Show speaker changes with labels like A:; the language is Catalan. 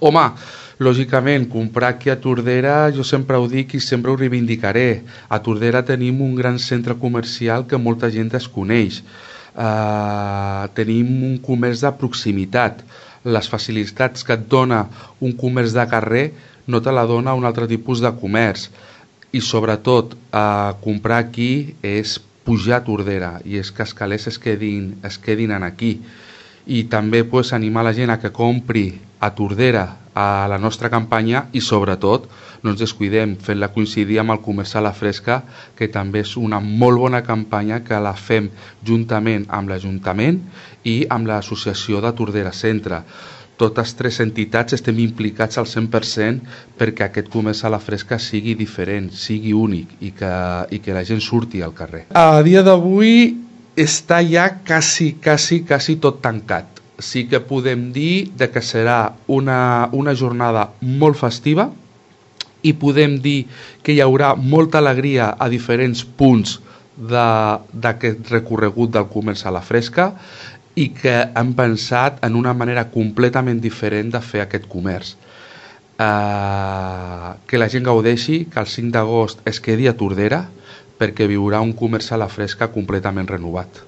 A: Home, lògicament, comprar aquí a Tordera, jo sempre ho dic i sempre ho reivindicaré. A Tordera tenim un gran centre comercial que molta gent desconeix. Tenim un comerç de proximitat. Les facilitats que et dona un comerç de carrer no te la dona un altre tipus de comerç. I sobretot, comprar aquí és pujar a Tordera i és que els calés es quedin aquí. I també animar la gent a que compri a Tordera a la nostra campanya i sobretot no ens descuidem fent-la coincidir amb el Comerç a la Fresca, que també és una molt bona campanya que la fem juntament amb l'Ajuntament i amb l'Associació de Tordera Centre. Totes tres entitats estem implicats al 100% perquè aquest Comerç a la Fresca sigui diferent, sigui únic i que la gent surti al carrer. A dia d'avui està ja quasi tot tancat. Sí que podem dir que serà una jornada molt festiva i podem dir que hi haurà molta alegria a diferents punts d'aquest recorregut del Comerç a la Fresca i que hem pensat en una manera completament diferent de fer aquest comerç. Que la gent gaudeixi, que el 5 d'agost es quedi a Tordera perquè viurà un Comerç a la Fresca completament renovat.